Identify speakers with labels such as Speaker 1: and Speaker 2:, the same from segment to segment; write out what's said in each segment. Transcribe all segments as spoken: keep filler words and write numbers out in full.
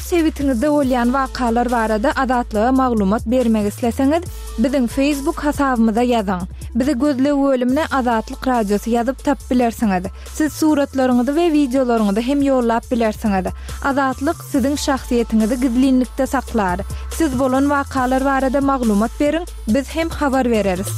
Speaker 1: Öz sebitiňizde bolýan wakalar barada Azatlyga maglumat bermek isleseňiz, biziň Facebook hasabymyza ýazyň. Bizi gözleg bölümine Azatlyk Radiosy ýazyp tapyp bilersiňiz. Siz suratlaryňyzy we wideolaryňyzy hem ýollap bilersiňiz. Azatlyk siziň şahsyýetiňizi gizlinlikde saklar. Siz bolan wakalar barada maglumat beriň, biz hem habar bereris.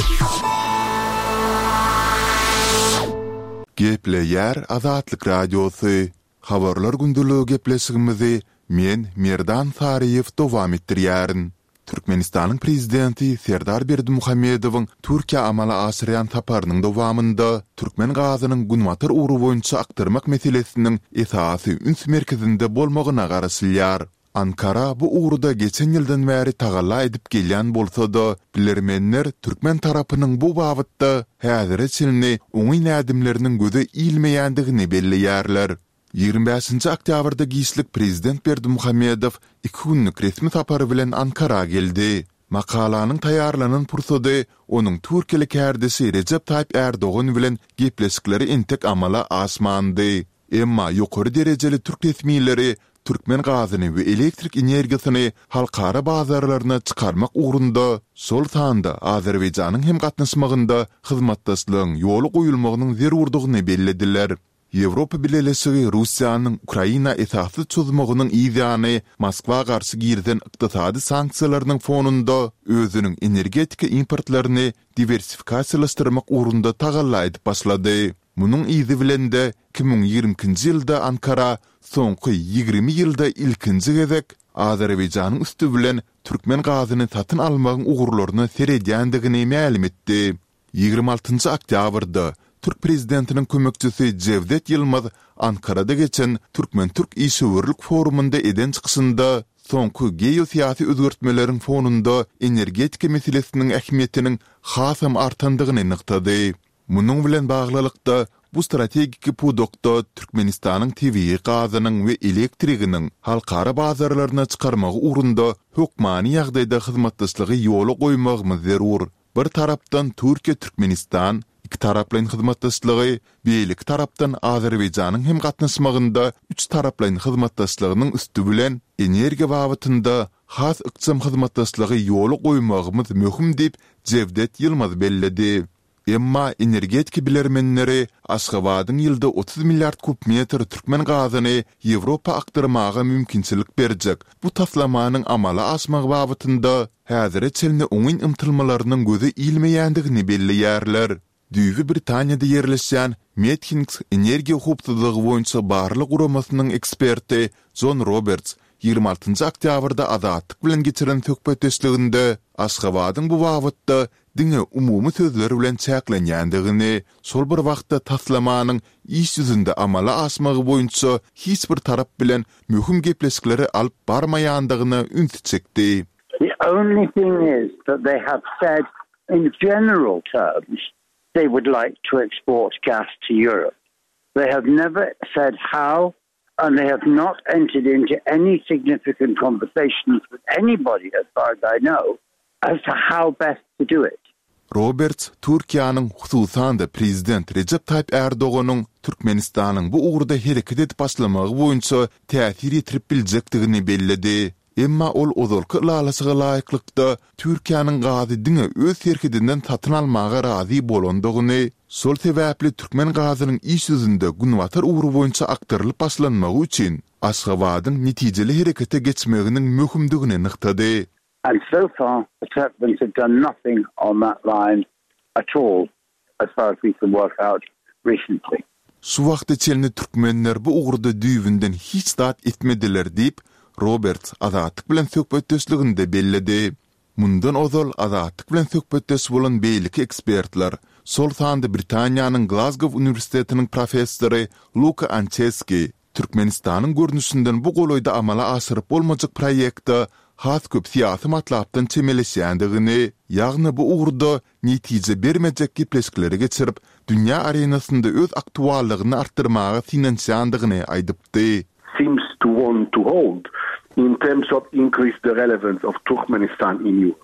Speaker 2: Gepleýär Azatlyk Radiosy. Habarlar gündeligi gepleşigimizi men Merdan Saryýew dowam etdirýärin. Türkmenistanyň prezidenti Serdar Berdimuhamedowyň Türkiýä amala aşyrýan saparynyň dowamynda türkmen gazynyň günbatar ugry boýunça akdyrmak meselesiniň esasy üns merkezinde bolmagyna garaşylýar. Ankara bu ugurda geçen ýyldan bäri tagalla edip gelýän bolsa-da, bilermenler türkmen tarapynyň bu babatda häzire çenli oňyn ädimleriniň göze ilmeýändigini belleýärler. Ýigrimi bäşinji oktýabrda giçlik prezident Berdimuhamedow iki günlük resmi sapary bilen Ankara geldi. Makalanyň taýýarlanan pursady onuň türkiýeli kärdeşi Rejep Taýyp Ärdogan bilen gepleşikleri entek amala aşmandy. Emma ýokary derejeli türk resmileri türkmen gazyny we elektrik energiýasyny halkara bazarlaryna çykarmak ugrunda, şol sanda Azerbaýjanyň hem gatnaşmagynda hyzmatdaşlygyň ýola goýulmagynyň zerurdygyny bellediler. Ýewropa Bileleşigi Russiýanyň Ukraina esassyz çozmagynyň yzýany Moskwa garşy girizen ykdysady sanksiýalarynyň fonunda özüniň energetika importlaryny diwersifikasiýalaşdyrmak ugrunda tagalla edip başlady. Munuň yzy bilen-de iki müň ýigrimi ikinji ýylda Ankara soňky ýigrimi ýylda ilkinji gezek Azerbaýjanyň üsti bilen türkmen gazyny satyn almagyň ugurlaryna seredýändigini mälim etdi. Ýigrimi altynjy oktýabrda türk prezidentiniň kömekçisi Jewdet Ýylmaz Ankarada geçen türkmen-türk işewürlik forumynda eden çykyşynda soňky geosyýasy özgertmeleriň fonunda energetika meselesiniň ähmiýetiniň hasam artandygyny nygtady. Munuň bilen baglylykda, bu strategiki pudakda Türkmenistanyň tebigy gazynyň we elektriginiň halkara bazarlaryna çykarmagy ugrunda hökmany ýagdaýda hyzmatdaşlygy ýola goýmagymyz zerur. Bir tarapdan Türkiýe-Türkmenistan ikitaraplaýyn hyzmatdaşlygy, beýleki tarapdan Azerbaýjanyň hem gatnaşmagynda üçtaraplaýyn hyzmatdaşlygynyň üsti bilen energiýa babatynda has ykjam hyzmatdaşlygy ýola goýmagymyz möhüm diýip, Jewdet Ýylmaz belledi. Emma energetika bilermenleri Aşgabadyň ýylda otuz milliard kub metr türkmen gazyny Ýewropa akdyrmaga mümkinçilik berjek bu taslamanyň amala aşmagy babatynda häzire çenli oňyn ymtylmalarynyň göze ilmeýändigini belleýärler. Düýbi Britaniýada ýerleşýän Methinks energiýa howpsuzlygy boýunça barlag guramasynyň eksperti Jon Roberts ýigrimi altynjy oktýabrda Azatlyk bilen geçiren söhbetdeşliginde Aşgabadyň bu babatda diňe umumy sözler bilen çäklenýändigini, şol bir wagtda taslamanyň iş ýüzünde amala aşmagy boýunça hiç bir tarap bilen möhüm gepleşikleri alyp barmaýandygyna ünsi çekdi.
Speaker 3: The only thing is that they have said in general terms they would like to export gas to Europe. They have never said how and they have not entered into any significant conversations with anybody, as far as I know, as to how best to do it.
Speaker 2: Roberts Türkiýäniň, hususan-da prezident Rejep Taýyp Ärdoganyň Türkmenistanyň bu ugurda hereket edip başlamagy boýunça täsir ýetirip biljekdigini belledi. Emma ol ozalky ylalaşyga laýyklykda Türkiýäniň gazy diňe öz serhedinden satyn almaga razy bolandygyny, şol sebäpli türkmen gazynyň iş ýüzünde günbatar ugry boýunça akdyrylyp başlanmagy üçin Aşgabadyň netijeli herekete geçmeginiň möhümdigini nygtady.
Speaker 3: And so far the Turkmens have done nothing on that line at all as far as we can work out recently.
Speaker 2: Şu wagta çenli türkmenler bu ugurda düýbünden hiç zat etmediler diýip, Roberts Azatlyk bilen söhbetdeşliginde belledi. Mundan ozal Azatlyk bilen söhbetdeş bolan beýleki ekspertler, şol sanda Britaniýanyň Glazgow uniwersitetiniň professory Luka Ançeski Türkmenistanyň görnüşinden bu golaýda amala aşyryp bolmajak proýekte has köp syýasy matlapdan çemeleşýändigini, ýagny bu ugurda netije bermejek gepleşikleri geçirip, dünýä arenasynda öz aktuallygyny artdyrmaga synanyşýandygyny aýdypdy.
Speaker 4: Seems to want to hold in terms of increase the relevance of Turkmenistan in Europe.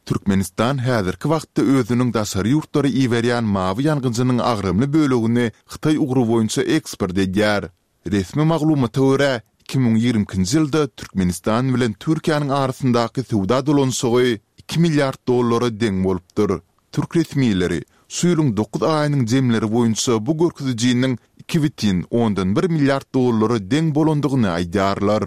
Speaker 2: Türkmenistan häzirki wagtda özüniň daşary ýurtlara iberýän mawy ýangyjynyň agramly bölegini Hytaý ugry boýunça eksport edýär. Resmi maglumata görä, iki müň ýigrimi ikinji ýylda Türkmenistan bilen Türkiýäniň arasyndaky söwda dolanyşygy iki milliard dollara deň bolupdyr. Türk resmileri şu ýylyň dokuz aýynyň jemleri boýunça bu görkezijiniň iki bütin ondan bir milliard dollara deň bolandygyny aýdýarlar.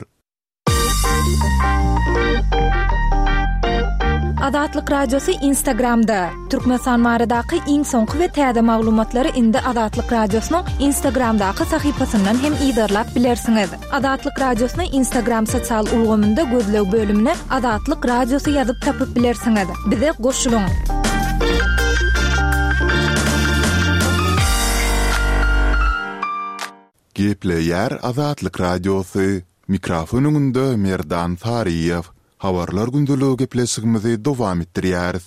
Speaker 1: Azatlyk Radiosy Instagramda. Türkmenistan baradaky iň soňky we täze maglumatlary indi Azatlyk Radiosynyň Instagramdaky sahypasyndan hem yzarlap bilersiňiz. Azatlyk Radiosyny Instagram sosial ulgamynda gözleg bölümine Azatlyk Radiosy ýazyp tapyp bilersiňiz. Bize goşulyň.
Speaker 2: Gepleýär Azatlyk Radiosy. Mikrofon öňünde Merdan Saryýew. Habarlar gündeligi gepleşigimizi dowam etdirýäris.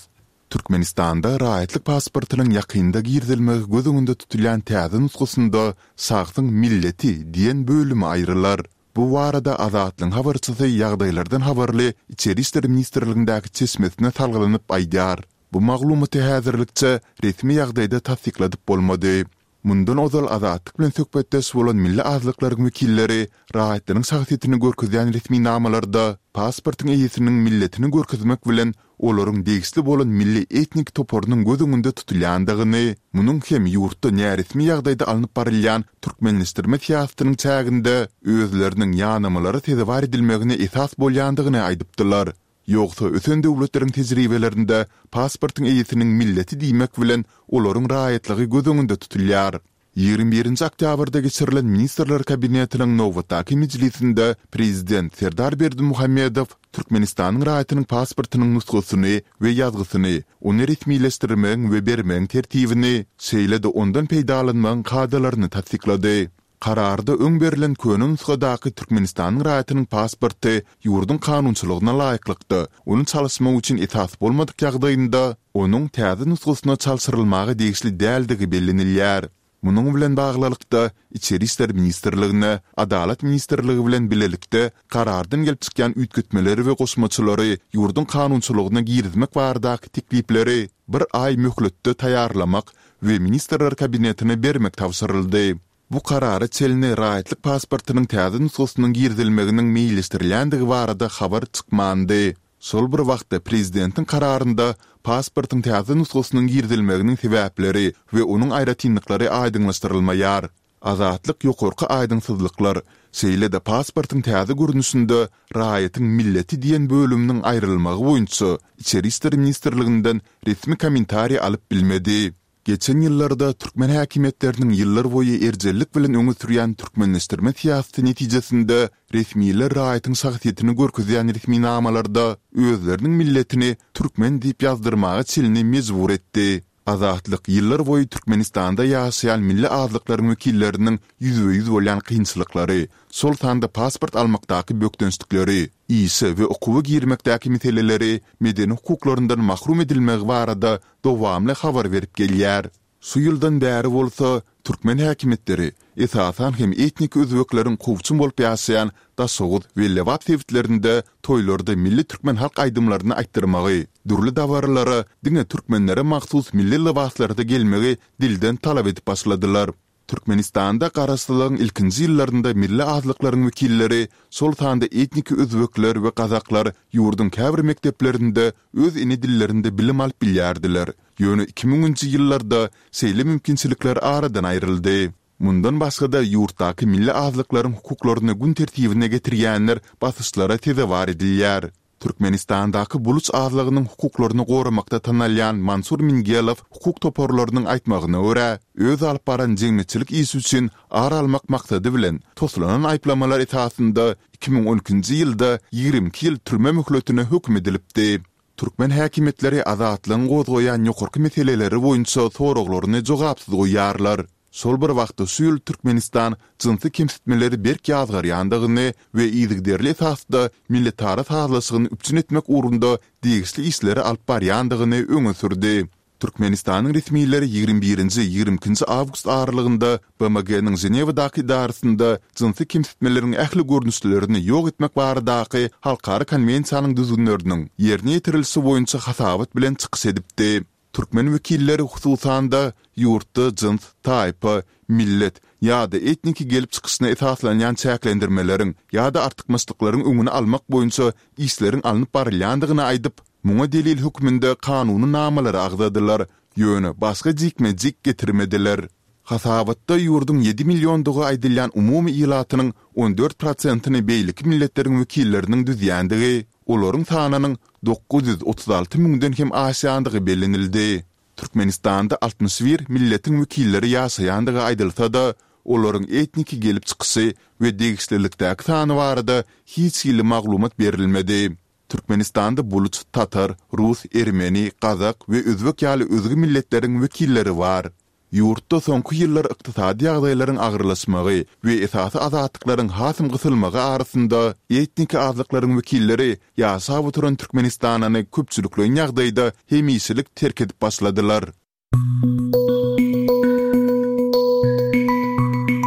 Speaker 2: Türkmenistanda raýatlyk pasportynyň ýakynda girizilmegi göz öňünde tutulýan täze nusgasynda şahsyň milleti diýen bölümi aýrylar. Bu barada Azatlygyň habarçysy ýagdaýlardan habarly Içeri işler ministrligindäki çeşmesine salgylanyp aýdýar. Bu maglumaty häzirlikçe resmi ýagdaýda tassykladyp bolmady. Mundan ozal Azatlyk bilen söhbetdeş bolan milli azlyklaryň wekilleri raýatlaryň şahsyýetini görkezýän resminamalarda pasportyň eýesiniň milletini görkezmek bilen olaryň degişli bolan milli etnik toparynyň göz öňünde tutulýandygyny, munuň hem ýurtda näresmi ýagdaýda alnyp barylýan türkmenleşdirme syýasatynyň çäginde özleriniň ýanamalara sezewar edilmegine esas bolýandygyny aýdypdylar. Ýogsa ösen döwletleriň tejribelerinde pasportyň eýesiniň milleti diýmek bilen olaryň raýatlygy göz öňünde tutulýar. Ýigrimi birinji oktýabrda geçirilen Ministrler Kabinetiniň nobatdaky mejlisinde Prezident Serdar Berdimuhamedow Türkmenistanyň raýatynyň pasportynyň nusgasyny we ýazgysyny, ony resmileşdirmegiň we bermegiň tertibini, şeýle-de ondan peýdalanmagyň kadalaryny tassyklady. Kararda öň berlen köne nusgadaky Türkmenistanyň raýatynyň pasporty ýurduň kanunçylygyna laýyklykda ony çalyşmak üçin esas bolmadyk ýagdaýynda, onuň täze nusgasyna çalşyrylmaga degişli däldigi bellenilýär. Munuň bilen baglylykda, Içeri işler ministrligine Adalat ministrligi bilen bilelikde karardan gelip çykýan üýtgetmeleri we goşmaçalary ýurduň kanunçylygyna girizmek baradaky teklipleri bir aý möhletde taýýarlamak we Ministrler Kabinetine bermek tabşyryldy. Bu karara çenli raýatlyk pasportynyň täze nusgasynyň girizilmeginiň meýilleşdirilýändigi barada habar çykmandy. Şol bir wagtda prezidentiň kararynda pasportyň täze nusgasynyň girizilmeginiň sebäpleri we onuň aýratynlyklary aýdyňlaşdyrylmaýar. Azatlyk ýokarky aýdyňsyzlyklar, şeýle-de pasportyň täze görnüşinde raýatyň milleti diýen bölüminiň aýrylmagy boýunça Içeri işler ministrliginden resmi kommentariý alyp bilmedi. Geçen ýyllarda türkmen häkimiýetleriniň ýyllarboýy erjellik bilen öňe sürýän türkmenleşdirme syýasaty netijesinde resmiler raýatyň şahsyýetini görkezýän resminamalarda özleriniň milletini türkmen diýip ýazdyrmaga çenli mejbur etdi. Azatlyk ýyllarboýy Türkmenistanda ýaşaýan milli azlyklaryň wekilleriniň ýüzbe-ýüz bolýan kynçylyklary, şol sanda pasport almakdaky bökdençlikleri, işe we okuwa girmekdäki meseleleri, medeni hukuklaryndan mahrum edilmegi barada dowamly habar berip gelýär. Şu ýyldan bäri bolsa, türkmen häkimiýetleri, esasan hem etnik özbekleriň kowçum bolup ýaşaýan Daşoguz we Lebap sebitlerinde toýlarda milli türkmen halk aýdymlaryny aýtdyrmagy, dürli dabaralara diňe türkmenlere mahsus milli lybaslarda gelmegi dilden talap edip başladylar. Türkmenistanda garaşsyzlygyň ilkinji ýyllarynda milli azlyklaryň wekilleri, şol sanda etniki özbekler we gazaklar ýurduň käbir mekdeplerinde öz ene dillerinde bilim alyp bilýärdiler. Ýöne iki müňünji ýyllarda şeýle mümkinçilikler aradan aýryldy. Mundan başga-da ýurtdaky milli azlyklaryň hukuklaryny gün tertibine getirýänler basyşlara sezewar edilýär. Türkmenistandaky buluç azlygynyň hukuklaryny goramakda tanalýan Mansur Mingelow hukuk toparlarynyň aýtmagyna görä, öz alyp baran jemgyýetçilik işi üçin ar almak maksady bilen toslanan aýyplamalar esasynda iki müň on ikinji ýylda ýigrimi iki ýyl türme möhletine höküm edilipdi. Türkmen häkimiýetleri Azatlygyň gozgaýan ýokarky meseleleri boýunça soraglaryny jogapsyz goýýarlar. Şol bir wagtda şu ýyl Türkmenistan jynsy kemsitmeleri berk ýazgarýandygyny we yzygiderli esasda milletara sazlaşygyny üpjün etmek ugrunda degişli işleri alyp barýandygyny öňe sürdi. Türkmenistanyň resmileri ýigrimi birinji, ýigrimi ikinji awgust aralygynda BMG-niň Ženewadaky edarasynda jynsy kemsitmeleriň ähli görnüşlerini ýok etmek baradaky halkara konwensiýanyň düzgünleriniň ýerine ýetirilişi boýunça hasabat bilen çykyş edipdi. Türkmen wekilleri hususan-da, ýurtda jyns, taýpa, millet ýa-da etniki gelip çykyşyna esaslanýan çäklendirmeleriň ýa-da artykmaçlyklaryň öňüni almak boýunça işleriň alnyp barylýandygyny aýdyp, muňa delil hökmünde kanuny namalary agzadylar, ýöne başga jikme-jik getirmediler. Hasabatda ýurduň ýedi milliondygy aýdylýan umumy ilatynyň on dört prosentini beýleki milletleriň wekilleriniň düzýändigi, olaryň sanynyň dokuz ýüz otuz alty müňden hem aşýandygy bellenildi. Türkmenistanda altmyş bir milletiň wekilleri ýaşaýandygy aýdylsa-da, olaryň etniki gelip çykyşy we degişlilikdäki sany barada hiç hili maglumat berilmedi. Türkmenistanda buluç, tatar, rus, ermeni, gazak we özbek ýaly özge milletleriň wekilleri bar. Ýurtda soňky ýyllar ykdysady ýagdaýlaryň agyrlaşmagy we esasy azatlyklaryň hasam gysylmagy arasynda etniki azlyklaryň wekilleri ýaşap oturan Türkmenistanyny köpçülikleýin ýagdaýda hemişelik terk edip başladylar.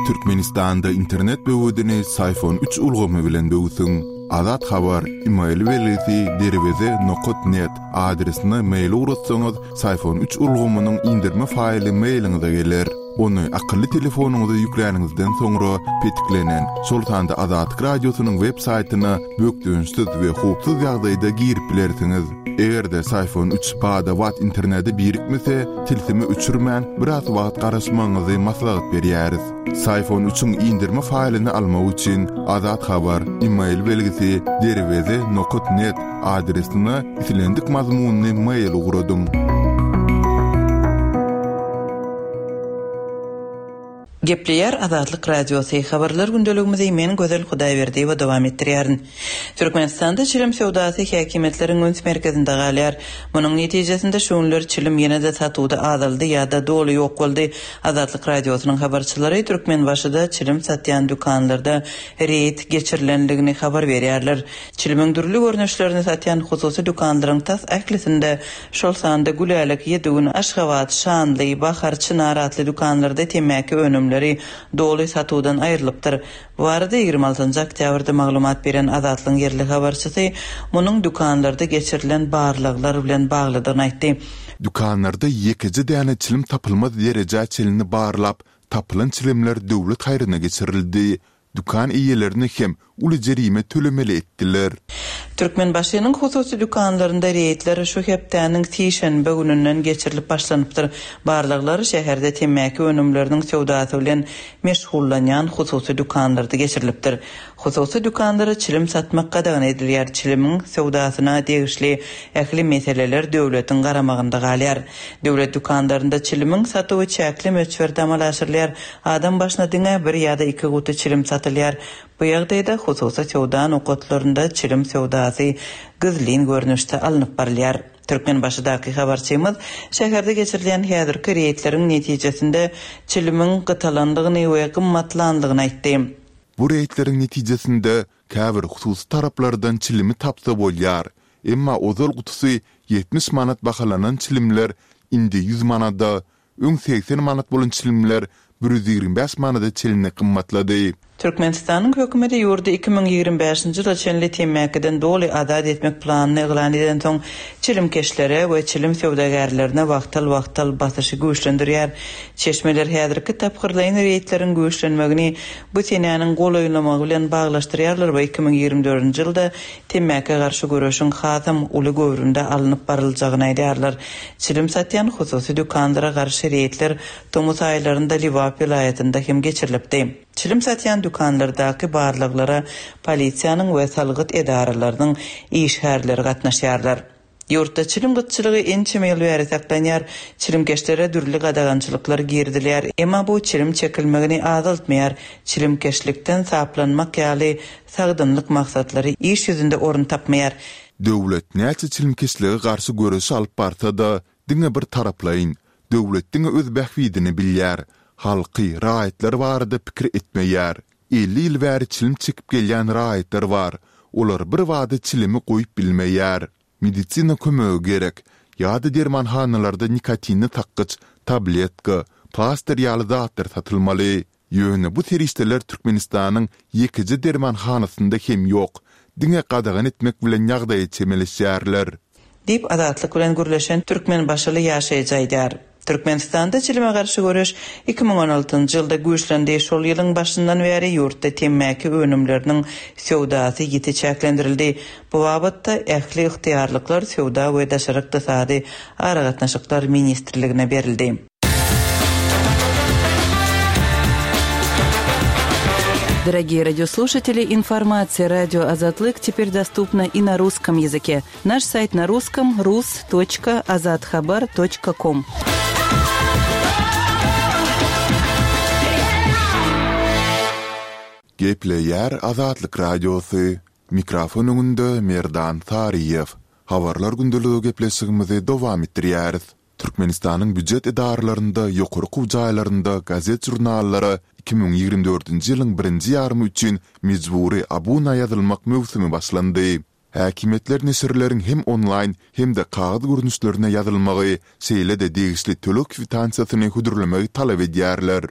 Speaker 2: Türkmenistanda internet böwedini Syfon üç ulgamy bilen böwsüň. Azat Habar, email belgisi derweze nokat net adresine mail ugratsaňyz, Syfon üç ulgamynyň indirme faýly mailiňize geler. Ony akylly telefonyňyza ýükläniňizden soňra petiklenen, şol sanda Azatlyk Radiosynyň web saýtyna bökdençsiz we howpsuz ýagdaýda girip bilersiňiz. Eger-de Syfon üç bada-bat internete birikmese, tilsimi öçürmän, biraz wagt garaşmagyňyzy maslahat berýäris. Syfon üçiň indirme faýlyny almak üçin Azat Habar, email belgisi derweze nokat net adresine islendik mazmunly mail ugradyň.
Speaker 5: Gepleýär Azatlyk Radiosy. Habarlar gündeligimizi men Gözel Hudaýberdiýewa dowam etdirýärin. Türkmenistanda çilim söwdasy häkimiýetleriň üns merkezinde galýar. Munuň netijesinde şu günler çilim ýene-de satuwda azaldy ýa-da doly ýok boldy. Azatlyk Radiosynyň habarçylary Türkmenbaşyda çilim satýan dükanlarda reýd geçirilendigini habar berýärler. Çilimiň dürli görnüşlerini satýan hususy dükanlaryň tas ählisinde, şol sanda Gülälek, Ýedi gün, Aşgabat, Şanly, Bahar, Çynar atly dükanlarda temmäki önümleri doly satuwdan aýrylypdyr. Bu barada ýigrimi altynjy oktýabrda maglumat beren Azatlygyň ýerli habarçysy munuň dükanlarda geçirilen barlaglar bilen baglydygyny aýtdy.
Speaker 2: Dükanlarda ýekeje däne çilim tapylmaz derejä çenli barlap, tapylan çilimler döwlet haýryna geçirildi. Dükan eýelerini hem uly jerime tölemeli etdiler.
Speaker 5: Türkmenbaşynyň hususy dükanlarynda reýdler şu hepdäniň sişenbe gününden geçirilip başlanypdyr. Barlaglar şäherde temmäki önümleriniň söwdasy bilen meşgullanýan hususy dükanlarda geçirilipdir. Hususy dükanlara çilim satmak gadagan edilýär. Çilimiň söwdasyna degişli ähli meseleler döwletiň garamagynda galýar. Döwlet dükanlarynda çilimiň satuwy çäkli möçberde amala aşyrylýar. Adam başyna diňe bir ýa-da iki guty çilim satylýar. Bu ýagdaýda hususy söwda nokatlarynda çilim söwdasy gizlin görnüşde alnyp barylýar. Türkmenbaşydaky habarçymyz şäherde geçirilýän häzirki reýdleriň netijesinde çilimiň gytalandygyny we gymmatlandygyny aýtdy.
Speaker 2: Bu reýdleriň netijesinde käbir hususy taraplardan çilimi tapsa bolýar. Emma ozal gutusy ýetmiş manat bahalanan çilimler indi ýüz manada, öň segsen manat bolan çilimler bir ýüz ýigrimi bäş manada çenli gymmatlady.
Speaker 5: Türkmenistanyň hökümeti ýurdy iki müň ýigrimi bäşinji ýyla çenli temmäkiden doly azat etmek planyny yglan edensoň, çilimkeşlere we çilim söwdagärlerine wagtal-wagtal basyşy güýçlendirýär. Çeşmeler häzirki tapgyrlaýyn reýdleriň güýçlenmegini bu senäniň golaýlamagy bilen baglaşdyrýarlar we iki müň ýigrimi dördünji ýylda temmäkä garşy göreşiň hasam uly göwrümde alnyp baryljagyny aýdýarlar. Çilim satýan hususy dükanlara garşy reýdler tomus aýlarynda Lebap welaýatynda hem geçirilipdi. Çilim satýan dükanlardaky barlaglara polisiýanyň we salgyt edaralarynyň işgärleri gatnaşýarlar. Ýurtda çilim gytçylygy ençeme ýyl bäri saklanýar. Çilimkeşlere dürli gadagançylyklar girizilýär. Emma bu çilim çekilmegini azaltmaýar. Çilimkeşlikden saplanmak ýaly sagdynlyk maksatlary iş ýüzünde orun tapmaýar.
Speaker 2: Döwlet näçe çilimkeşlige garşy göreşi alyp barsa-da, diňe bir taraplaýyn. Döwlet diňe öz bähbidini bilýär. Halky, raýatlar barada pikir etmeýär. Elli ýyl bäri çilim çekip gelýän raýatlar bar. Olar bir bada çilimi goýup bilmeýär. Medisina kömegi gerek. Ýa-da dermanhanalarda nikotinli sakgyç, tabletka, plaster ýaly zatlar satylmaly. Ýöne bu serişdeler Türkmenistanyň ýekeje dermanhanasynda hem ýok. Diňe gadagan etmek bilen ýagdaýa çemeleşýärler.
Speaker 5: Diýip Azatlyk bilen gürleşen Türkmenbaşyly ýaşaýjy aýdýar. Türkmenistanda çilime garşy göreş iki müň on altynjy ýylda güýçlendi. Şol ýylyň başyndan bäri ýurtda temmäki önümleriniň söwdasy ýiti çäklendirildi. Bu babatda ähli ygtyýarlyklar Söwda we Daşary ykdysady aragatnaşyklar ministrligine berildi.
Speaker 6: Дорогие радиослушатели, информация радио Азатлык теперь доступна и на русском языке. Наш сайт на русском рус точка азатхабар точка ком.
Speaker 2: Gepleýär Azatlyk Radiosy. Mikrofon öňünde Merdan Saryýew. Habarlar gündeligi gepleşigimizi dowam etdirýäris. Türkmenistanyň býujet edaralarynda, ýokary okuw jaýlarynda gazet-žurnallara iki müň ýigrimi dördünji ýylyň birinji ýarymy üçin mejbury abuna ýazylmak möwsümi başlandy. Häkimiýetler neşirleriň hem onlaýn hem-de kagyz görnüşlerine ýazylmagy, şeýle-de degişli töleg kwitansiýasyny hödürlemegi talap edýärler.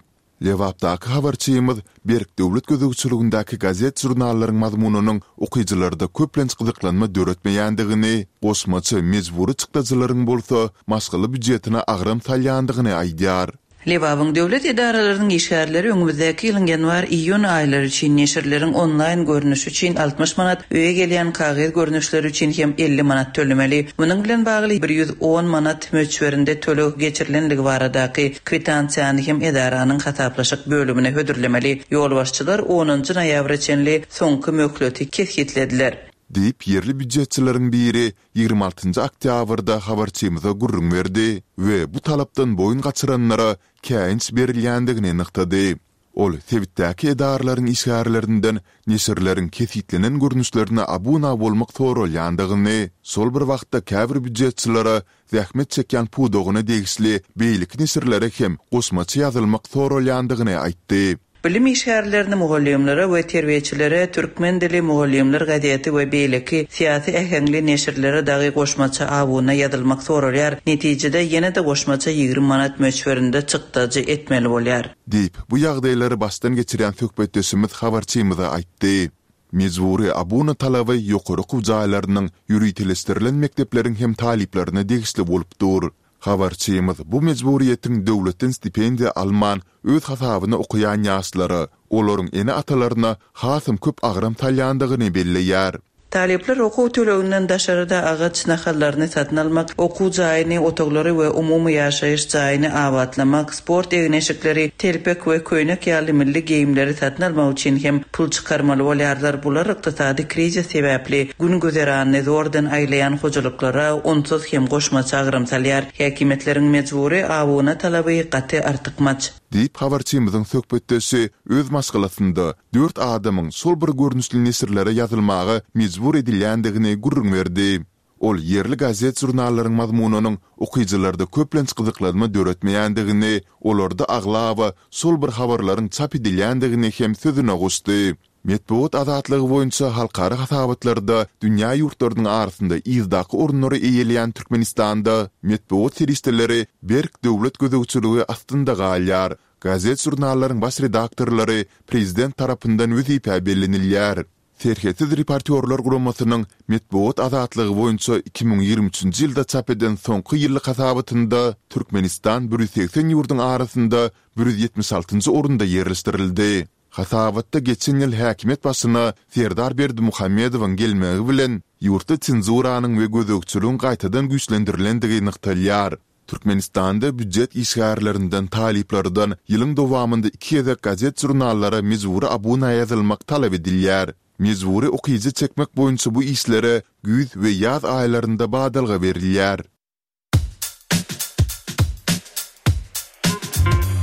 Speaker 2: Lebapdaky habarçymyz Berk döwlet gözegçiligindäki gazet-žurnallaryň mazmunynyň okyjylarda köplenç gyzyklanma döretmeýändigini, goşmaça mejbury çykdajylaryň bolsa maşgala býujetine agram salýandygyny aýdýar.
Speaker 5: Lebabyň döwlet edaralarynyň işgärleri öňümizdäki ýylyň ýanwar-iýun aýlary üçin neşirleriň onlaýn görnüşi üçin altmyş manat, öýe gelýän kagyz görnüşleri üçin hem elli manat tölemeli. Munuň bilen bagly bir ýüz on manat möçberinde töleg geçirilenligi baradaky kwitansiýany hem edaranyň hasaplaşyk bölümine hödürlemeli. Ýolbaşçylar onunjy noýabra çenli soňky möhleti kesgitlediler.
Speaker 2: Diýip, ýerli býujetçileriň biri ýigrimi altynjy oktýabrda habarçymyza gürrüň berdi we bu talapdan boýun gaçyranlara käýinç berilýändigini nygtady. Ol sebitdäki edaralaryň işgärlerinden neşirleriň kesgitlenen görnüşlerine abuna bolmak soralýandygyny, şol bir wagtda käbir býujetçilere zähmet çekýän pudagyna degişli beýleki neşirlere hem goşmaça ýazylmak soralýandygyny aýtdy.
Speaker 5: Bilim işgärlerini mugallymlara we terbiýeçilere Türkmen dili mugallymlar gazeti we beýleki syýasy äheňli neşirlere dagy goşmaça abuna ýazylmak soralýar. Netijede ýene-de goşmaça ýigrimi manat möçberinde çykdajy etmeli bolýar.
Speaker 2: Diýip, bu ýagdaýlary başdan geçirýän söhbetdeşimiz habarçymyza aýtdy. Mejbury abuna talaby ýokary okuw jaýlarynyň ýöriteleşdirilen mekdepleriň hem talyplaryna degişli bolup dur. Habarçymyz bu mejburiýetiň döwletden stipendiýa alman öz hasabyna okaýan ýaşlara, olaryň ene-atalaryna hasam köp agram salýandygyny belleýär.
Speaker 5: Talyplar okuw töleginden daşarda agaç nahallaryny satyn almak, okuw jaýyny, otaglary we umumy ýaşaýyş jaýyny abatlamak, sport egin-eşikleri, telpek we köýnek ýaly milli geýimleri satyn almak üçin hem pul çykarmaly bolýarlar. Bular ykdysady krizis sebäpli gün güzeranyny zordan aýlaýan hojalyklara onsuz hem goşmaça agram salýar. Häkimiýetleriň mejbury abuna talaby gaty artykmaç.
Speaker 2: Diýip, habarçymyzyň söhbetdeşi öz maşgalasynda dört adamyň şol bir görnüşli neşirlere ýazylmaga mejbur edilýändigini gürrüň berdi. Ol ýerli gazet-žurnallaryň mazmunynyň okyjylarda köplenç gyzyklanma döretmeýändigini, olarda aglaba şol bir habarlaryň çap edilýändigini hem sözüne goşdy. Metbugat azatlygy boýunça halkara hasabatlarda dünýä ýurtlarynyň arasynda yzdaky orunlary eýeleýän Türkmenistanda metbugat serişdeleri berk döwlet gözegçiligi astynda galýar. Gazet-žurnallaryň baş redaktorlary prezident tarapyndan wezipä bellenilýär. Serhetsiz reportýorlar guramasynyň metbugat azatlygy boýunça iki müň ýigrimi üçünji ýylda çap eden soňky ýyllyk hasabatynda Türkmenistan bir ýüz segsen ýurduň arasynda bir ýüz ýetmiş altynjy orunda ýerleşdirildi. Hasabatda geçen ýyl häkimiýet başyna Serdar Berdimuhamedowyň gelmegi bilen ýurtda senzuranyň we gözegçiligiň gaýtadan güýçlendirilendigi nygtalýar. Türkmenistanda býujet işgärlerinden talyplardan ýylyň dowamynda iki gezek gazet-žurnallara mejbury abuna ýazylmak talap edilýär. Mejbury okyjy çekmek boýunça bu işlere güýz we ýaz aýlarynda badalga berilýär.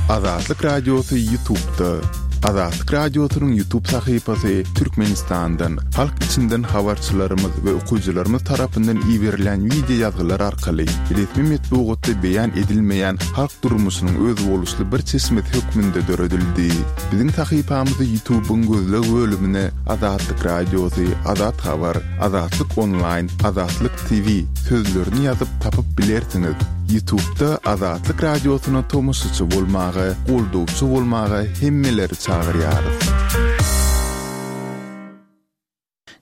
Speaker 2: Azatlyk Radiosy YouTube'da. Azatlyk Radiosynyň YouTube sahypasy Türkmenistandan, halk içinden habarçylarymyz we okyjylarymyz tarapyndan iberilen video ýazgylar arkaly resmi metbugatda beýan edilmeýän halk durmuşynyň özboluşly bir çeşmesi hökmünde döredildi. Biziň sahypamyzy YouTube'yň gözleg bölümine Azatlyk Radiosy, Azat Habar, Azatlyk Online, Azatlyk T V sözlerini ýazyp tapyp bilersiňiz. YouTube'da Azatlyk Radiosyna tomaşaçy bolmaga, goldawçy bolmaga hemmeleri çagyrýarys.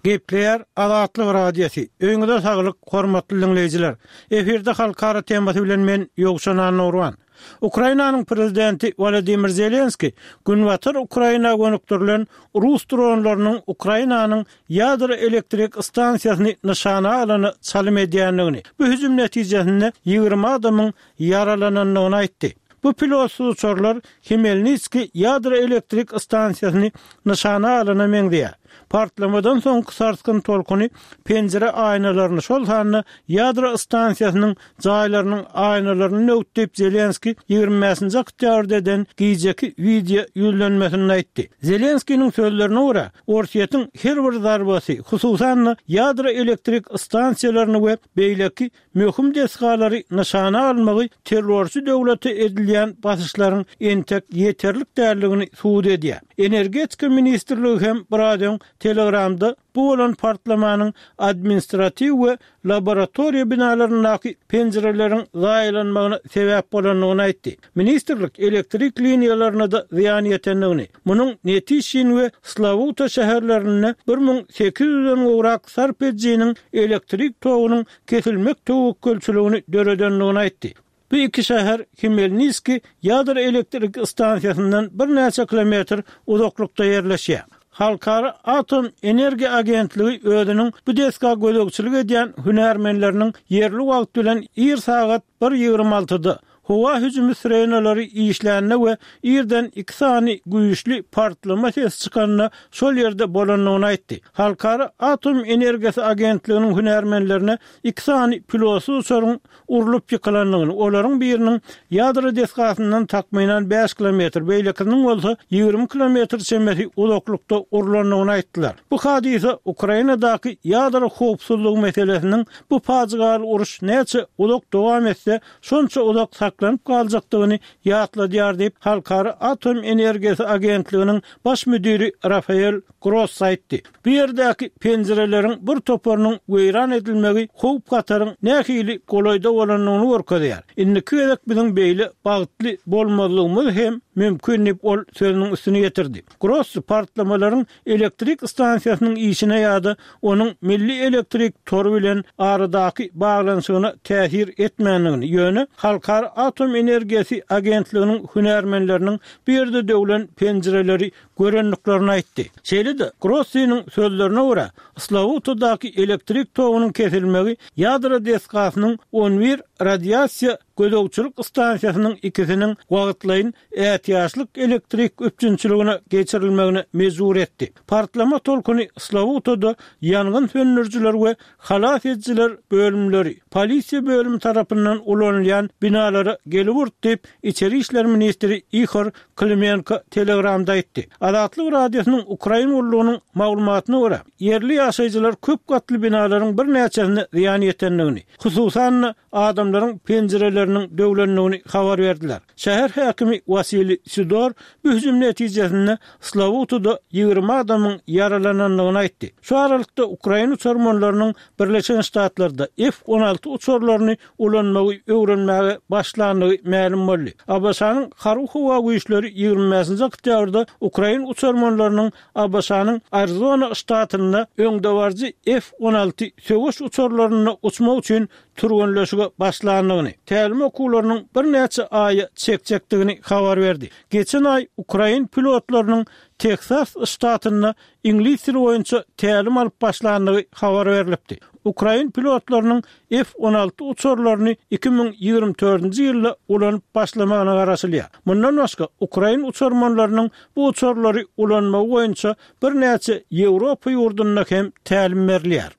Speaker 7: Gepleýär Azatlyk Radiosy. Öýüňize saglyk, hormatly diňleýjiler. Efirde halkara temasy bilen men Ýowşan Annagurban. Ukrainanyň prezidenti Wolodymyr Zelenskiý Günbatar Ukraina gönükdirilen rus dronlarynyň Ukrainanyň ýadro elektrik stansiýasyny nyşana alana çalym edýändigini, bu hüjüm netijesinde ýigrimi adamyň ýaralanandygyny aýtdy. Bu pilotsyz uçarlar Hmelnitskiý ýadro elektrik stansiýasyny nyşana alana meňzeýär. Partlamadan soňky sarsgyn tolkuny penjire aýnalaryny, şol sanda ýadro stansiýasynyň jaýlarynyň aýnalaryny döwdi diýip, Zelenskiý ýigrimi bäşinji oktýabrda eden gijeki wideo ýüzlenmesinde aýtdy. Zelenskiniň sözlerine görä, Orsýetiň her bir zarbasy, hususan-da, ýadro elektrik stansiýalaryny we beýleki möhüm desgalary nyşana almagy terrorçy döwlete edilýän basyşlaryň entek ýeterlik däldigini subut edýär. Energetika ministrligi hem biraz öň Telegramda bu bolan partlamanyň administratiw we laboratoriýa binalaryndaky penjireleriň zaýalanmagyna sebäp bolandygyny aýtdy. Ministrlik elektrik liniýalaryna-da zyýan ýetendigini, munuň Netişin we Slawuta şäherlerinde bir müň sekiz ýüzden gowrak sarp edijiniň elektrik togunyň kesilmek töwekgelçiligini döredendigini aýtdy. Bu iki şäher Hmelniskiý ýadro elektrik stansiýasyndan birnäçe kilometr uzaklykda ýerleşýär. Halkara atom energiýa agentligi özüniň bu desga gözegçilik edýän hünärmenleriniň ýerli wagt bilen ir sagat bir ýigrimi altyda howa hüjümi sirenalary işlände we irden iki sany güýçli partlama sesi çykanda şol ýerde bolandygyny aýtdy. Halkara atom energiýasy agentliginiň hünärmenlerine iki sany pilotsyz uçaryň urlup ýykylandygyny, olaryň biriniň ýadro desgasyndan takmynan bäş kilometr, beýlekisiniň bolsa ýigrimi kilometr çemesi uzaklykda urlandygyny aýtdylar. Bu hadysa Ukrainadaky ýadro howpsuzlygy meselesiniň bu pajygaly uruş näçe uzak dowam etse, şonça uzak saklanyp galjakdygyny ýatladýar diýip, Halkara atom energiýasy agentliginiň baş müdiri Rafael Grossi aýtdy. Bu ýerdäki penjireleriň bir toparynyň weýran edilmegi howp-hataryň nähili golaýda bolandygyny görkezýär. Indiki gezek biziň beýle bagtly bolmazlygymyz hem mümkin diýip, ol sözüniň üstüni ýetirdi. Grossi partlamalaryň elektrik stansiýasynyň işine ýa-da onuň milli elektrik tory bilen aradaky baglanyşygyna täsir etmändigini, ýöne Halkara atom energiýasy agentliginiň hünärmenleriniň bu ýerde döwlen penjireleri görendiklerini aýtdy. Şeýle-de, Grossiniň sözlerine görä, Slawutadaky elektrik togunyň kesilmegi ýadro desgasynyň on bir radiasiýa gözegçilik stansiýasynyň ikisiniň wagtlaýyn ätiýaçlyk elektrik üpjünçiligine geçirilmegine mejbur etdi. Partlama tolkuny Slawutada ýangyn söndürijiler we halas edijiler bölümleri, polisiýa bölümi tarapyndan ulanylýan binalara gelip urdy diýip, içeri işler ministri Ihor Klimenko Telegramda aýtdy. Azatlyk Radiosynyň Ukrain gullugynyň maglumatyna görä, ýerli ýaşaýjylar köp gatly binalaryň birnäçesine zyýan ýetendigini, hususan-da, adamlaryň penjireleriniň döwlendigini habar berdiler. Şäher häkimi Wasiliý Sidor bu hüjüm netijesinde Slawutada ýigrimi adamyň ýaralanandygyny aýtdy. Şu aralykda ukrain uçarmanlarynyň Birleşen Ştatlarda F on alty uçarlaryny ulanmagy öwrenmäge başlandygy mälim boldy. ABŞ-nyň Harby-howa güýçleri ýigrimi bäşinji oktýabrda ukrain uçarmanlarynyň ABŞ-nyň Arizona ştatynda öňdebaryjy F on alty söweş uçarlarynda uçmak üçin türgenleşige başlandygyny, tälim okuwlarynyň birnäçe aýa çekjekdigini habar berdi. Geçen aý ukrain pilotlarynyň Teksas ştatynda iňlis dili boýunça tälim alyp başlandygy habar berlipdi. Ukrain pilotlarynyň F on alty uçarlaryny iki müň ýigrimi dördünji ýylda ulanyp başlamagyna garaşylýar. Mundan başga, ukrain uçarmanlarynyň bu uçarlary ulanmagy boýunça birnäçe Ýewropa ýurdunda hem tälim berilýär.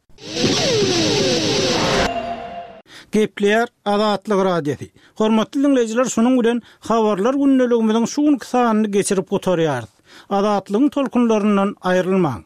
Speaker 7: Gepleýär Azatlyk Radiosy. Hormatly diňleýjiler, şunuň bilen Habarlar gündeligimiziň şu günki sanyny geçirip gutarýarys. Azatlygyň tolkunlaryndan aýrylmaň.